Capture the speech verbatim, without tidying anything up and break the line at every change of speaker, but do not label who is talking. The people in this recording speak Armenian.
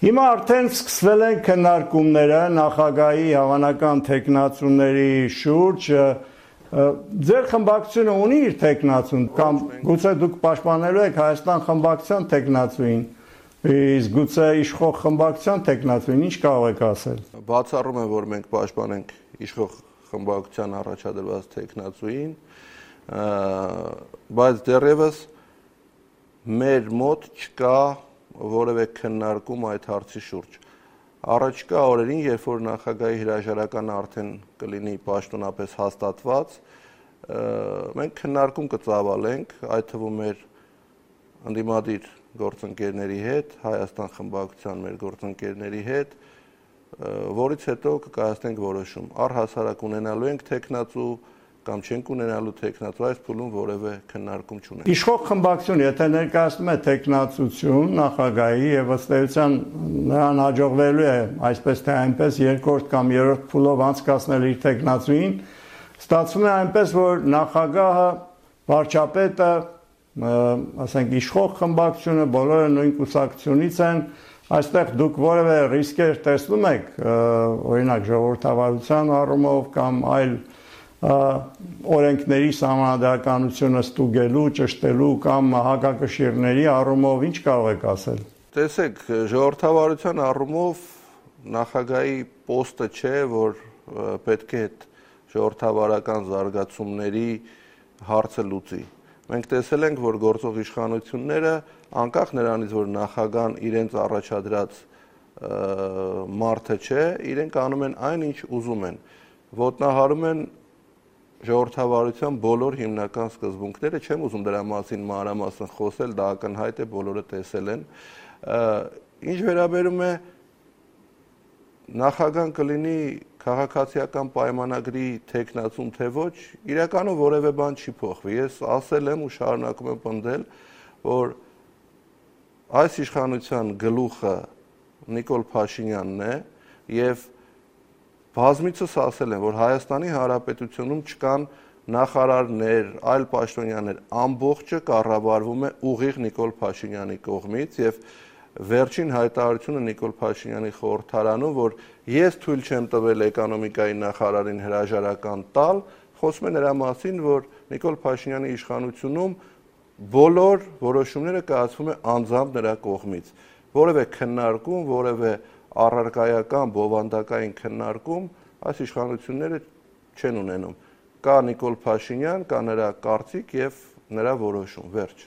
Հիմա արդեն սկսվել են քննարկումները նախագահի հավանական թեկնածուների շուրջ, ձեր խմբակցությունը ունի իր թեկնածուն, կամ գուցե դուք պաշտպանելու եք Հայաստան խմբակցության թեկնածուին, իսկ գուցե իշխող խմբակցության թեկնածուին, ինչ կարող եք ասել։
Բացառում եմ, որ մենք պաշտպանենք իշխող խմբակցության առաջադրված թեկնածուին, բայց դեռևս մեր մոտ չկա որևէ քննարկում այդ հարցի շուրջ։ Առաջիկա օրերին, երբ որ նախագահի հրաժարականը արդեն կլինի պաշտոնապես հաստատված, մենք քննարկում կծավալենք, այդ թվում մեր ընդդիմադիր գործընկերների հետ, Հայաստան խմբակցության մեր գործընկերների հետ, որից հետո կկայացնենք որոշում։ Առհասարակ ունենալու ենք թեկնածու կամ չենք ունենալու թեկնածու, այս փուլում որևէ քննարկում չունենք։
Իշխող խմբակցությունը, եթե ներկայացնում է թեկնածություն նախագահի եւ ըստ էության նրան հաջողվելու է այսպես թե այնպես երկրորդ կամ երրորդ փուլով անցկացնել իր թեկնածուին, ստացվում է այնպես, որ նախագահը, վարչապետը, ասենք իշխող խմբակցությունը, բոլորը նույն կուսակցությունից են, այստեղ դուք որևէ ռիսկեր տեսնում եք, օրինակ ժողովրդավարության առումով կամ այլ օրենքների սահմանադրականությունը ստուգելու, ճշտելու կամ հակակշիռների առումով ինչ կարող եք ասել։
Տեսեք, ժողովրդավարության առումով նախագահի պոստը չէ, որ պետք է այդ ժողովրդավարական զարգացումների հարցը լուծի։ Մենք տեսել ենք, որ գործող իշխանությունները, անկախ նրանից, որ նախագահան իրենց առաջադրած մարդը չէ, իրենք անում են այն, ինչ ուզում են, ոտնահարում են ժողովրդավարության բոլոր հիմնական սկզբունքները, չեմ ուզում դրա մասին մանրամասն խոսել, դա ակնհայտ է, բոլորը տեսել են։ Ինչ վերաբերում է նախագահան կլինի քաղաքացիական պայմանագրի թեկնածուն թե ոչ, իրականում որևէ բան չի փոխվի։ Ես ասել եմ ու շարունակում եմ պնդել, որ այս իշխանության գլուխը Նիկոլ Փաշինյանն է եւ բազմիցս ասել եմ, որ Հայաստանի Հանրապետությունում չկան նախարարներ, այլ պաշտոնյաներ, ամբողջը կառավարվում է ուղիղ Նիկոլ Փաշինյանի կողմից եւ վերջին հայտարարությունը Նիկոլ Փաշինյանի խորհրդարանում, որ ես թույլ չեմ տվել էկոնոմիկայի նախարարին հրաժարական տալ, խոսում է նրա մասին, որ Նիկոլ Փաշինյանի իշխանությունում բոլոր որոշումները կայացվում է անձամբ նրա կողմից։ Որևէ քննարկում, որևէ առարկայական, բովանդակային քննարկում այս իշխանությունները չեն ունենում։ Կա Նիկոլ Փաշինյան, կա նրա կարծիք եւ նրա որոշում, վերջ։